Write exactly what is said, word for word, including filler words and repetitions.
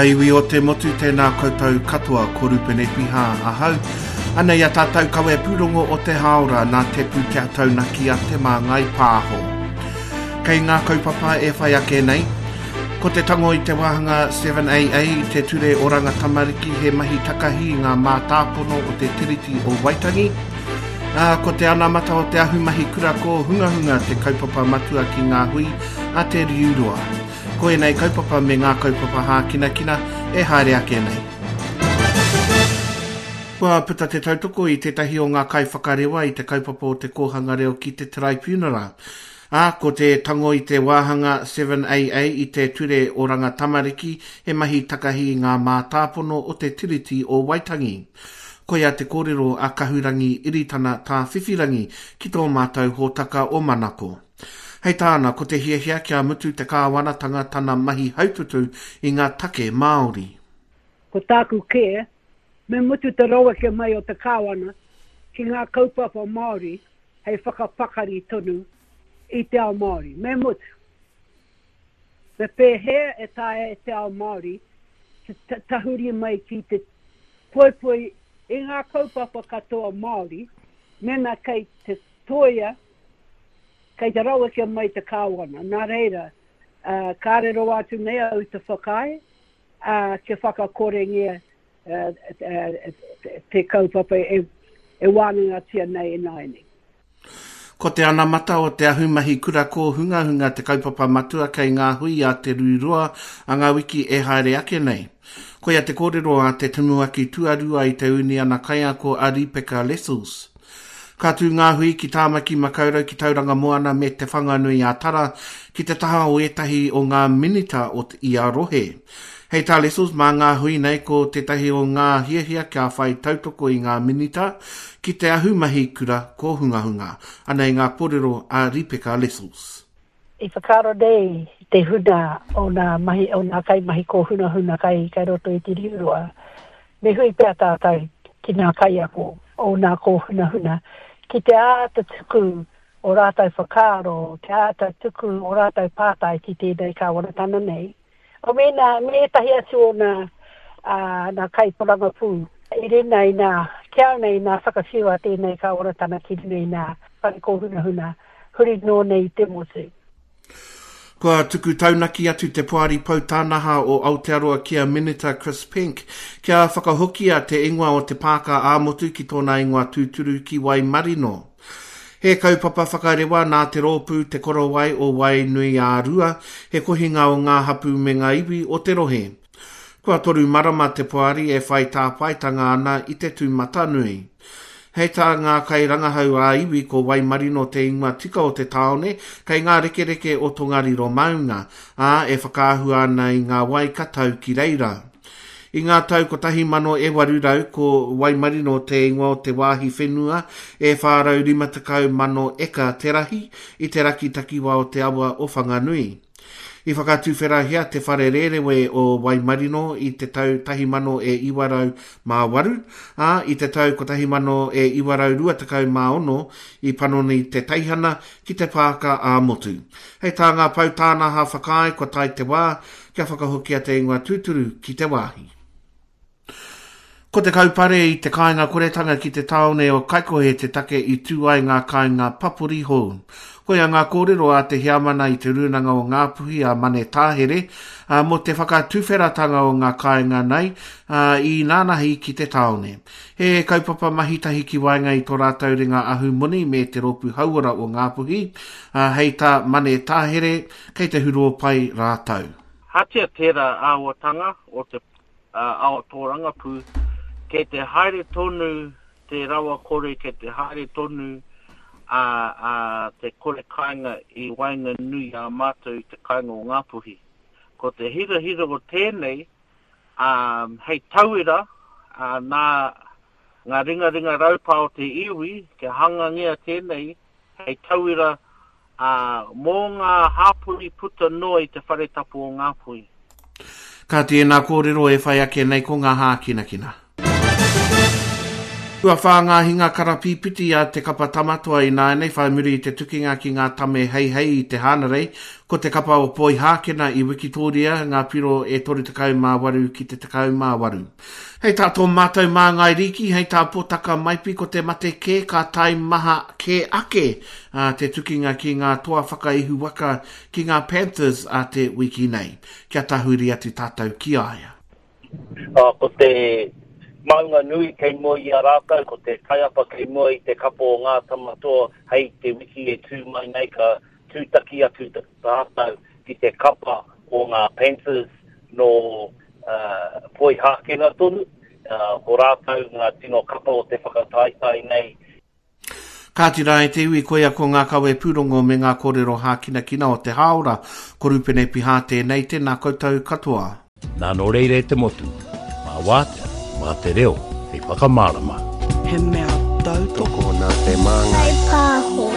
ngā iwi o te motu, tēnā koutou katoa, ko Rupene Piha ahau. Anei a tātou kawe pūrongo o te hāora nā te pūtea taunaki a Te Māngai Pāho. Kei ngā kaupapa e whai ake nei, ko te tango i te wāhanga seven A A i te Ture Oranga Tamariki he mahi takahi i ngā mātāpono o te Tiriti o Waitangi. Ā, ko te anamata o te ahumahi kura kōhungahunga te kaupapa matua ki ngā hui a te Riuroa. Ko ēnei kaupapa me ngā kaupapa hākinakina e haere ake nei. Kua puta te tautoko i tētahi o ngā kaiwhakarewa i te kaupapa o te kōhanga reo ki te Tribunala. Ā, ko te tango i te wāhanga seven A A i te Ture Oranga Tamariki he mahi takahi i ngā mātāpono o te Tiriti o Waitangi. Koia te kōrero a Kahurangi Iritana Tāwhiwhirangi ki tō mātou hōtaka o Manako. Hei tāna, ko te hiahia kia mutu te kāwanatanga tana mahi haututu i ngā take Māori. Ko tāku kē, me mutu te raweke mai o te kāwana ki ngā kaupapa Māori hei whakapakari tonu i te ao Māori. Me mutu. Me pēhea e taea e te ao Māori te tahuri mai ki te poipoi i ngā kaupapa katoa Māori, mena kei te toia, kei te raweke mai te kāwana. Nā reira, uh, kāre roa atu nei au te whakaae, uh, kia whakakorengia uh, te, te kaupapa e, e wānangatia nei e nāianei. Ko te anamata o te ahumahi kura kōhungahunga te kaupapa matua kei ngā hui a te Rūroa a ngā wiki e haere ake nei. Koia te kōrero a te tumuaki tuarua i te Uniana Kaiako a Ripeka Lessels. Ka tū ngā hui ki Tāmaki Makaurau ki Tauranga Moana me Te Whanganui a Tara ki te taha o ētahi o ngā minita o ia rohe. Hei tā Lessels, mā ngā hui nei ko tētahi o ngā hiahia kia whai tautoko i ngā minita ki te ahumahi kura kōhungahunga. Anei ngā kōrero a Ripeka Lessels. I whakaaro nei te huna o ngā mahi, o ngā kaimahi kōhungahunga kai, kai roto i te Riuroa. Me hui pea tātou ki ngā kaiako o ngā kōhungahunga ki te āta tuku o rātou whakaaro, te āta tuku o rātou pātai ki tēnei kāwanatanga nei. O mēnā, me ētahi atu o ngā, uh, ngā kaiporangapū i runa i ngā, kia nei ngā whakawhiu a tēnei kāwanatanga ki runa i ngā whare kōhungahunga, huri noa nei i te motu. Kua tuku taunaki atu te Poari Poutānaha o Aotearoa ki a Minita Chris Penk kia whakahokia te ingoa o te pāka ā-motu ki tōna ingoa tūturu ki Waimarino. He kaupapa whakarewa nā te rōpū Te Korowai o Wainui-ā-Rua, he kohinga o ngā hapu me ngā iwi o te rohe. Kua toru marama te poari e whai tāpaetanga ana i te tūmatanui. Hei tā ngā kairangahau ā-iwi ko Waimarino te ingoa tika o te tāone kei ngā rekereke o Tongariro Maunga, ā, e whakaahua ana i ngā wai ka tau ki reira. I ngā tau kotahi mano e waru rau ko Waimarino te ingoa o te wāhi whenua e whā rau rima tekau mano eka te rahi i te raki takiwā o te awa o Whanganui. I whakatuwherahia te whare rērewe o Waimarino i te tau tahi mano e iwa rau mā waru, ā, i te tau kotahi mano e iwa rau rua tekau mā ono i panoni te teihana ki te pāka ā-motu. Hei tā ngā poutānaha whakaae kua tae te wā kia whakahokia te ingoa tūturu ki te wāhi. Ko te kaupare i te kāinga koretanga ki te tāone o Kaikohe te take i tū ai ngā kāinga papori hou. Koia ngā kōrero a te heamana i te rūnanga o Ngāpuhi a Mane Tāhere, ā, mō te whakatuwheratanga o ngā kāinga nei, ā, i nānahi ki te tāone. He kaupapa mahitahi ki waenga i tō rātou ringa ahumoni me te rōpū hauora o Ngāpuhi, ā, hei tā Mane Tāhere, kei te huro pai rātou. Hatia tērā āhuatanga o te ao tōrangapū, kei te haere tonu te rawa kore, kei te haere tonu a, a te kore kāinga i waenganui a mātou i te kāinga o Ngāpuhi. Ko te hirahira o tēnei, um, hei tauira, uh, nā ngā ringaringa raupā o te iwi, kia hangangia tēnei, hei tauira uh, mō ngā hāpori puta noa i te whare tapu o Ngāpuhi. Ka tēnā kōrero e whai ake nei ko ngā hākinakina. Kua whā ngā hinga karapīpiti a te kapa Tamatoa ināianei whai muri i te tukinga ki ngā tame heihei i te Hānarei, ko te kapa o Poihākena i Wikitōria ngā piro e toru tekau mā waru ki te tekau mā waru. Hei tā tō mātou māngai rīki, hei tā Potaka Maipi ko te mate kē ka taimaha kē ake a te tukinga ki ngā toa whakaihu waka ki ngā Panthers a te wiki nei. Kia tahuri atu tātou ki a ia. Uh, ko te maunga nui kei mua i a rātou, ko te taiapa kei mua i te kapa o ngā Tamatoa hei te wiki e tū mai nei ka tūtaki atu tātou ki te kapa o ngā Panthers no uh, Poihākena tonu. Uh, ko rātou ngā tino kapa o te whakataetae nei. Kāti rā e te iwi, koia ko ngā kawe pūrongo me ngā kōrero hākinakina o te hāora. Ko Rupene Pihā tēnei, tēnā koutou katoa. Nā nō reira e te motu, mā wātea, mā te reo, hei whakamārama. He mea tautoko Tokona te māngai. Pāho.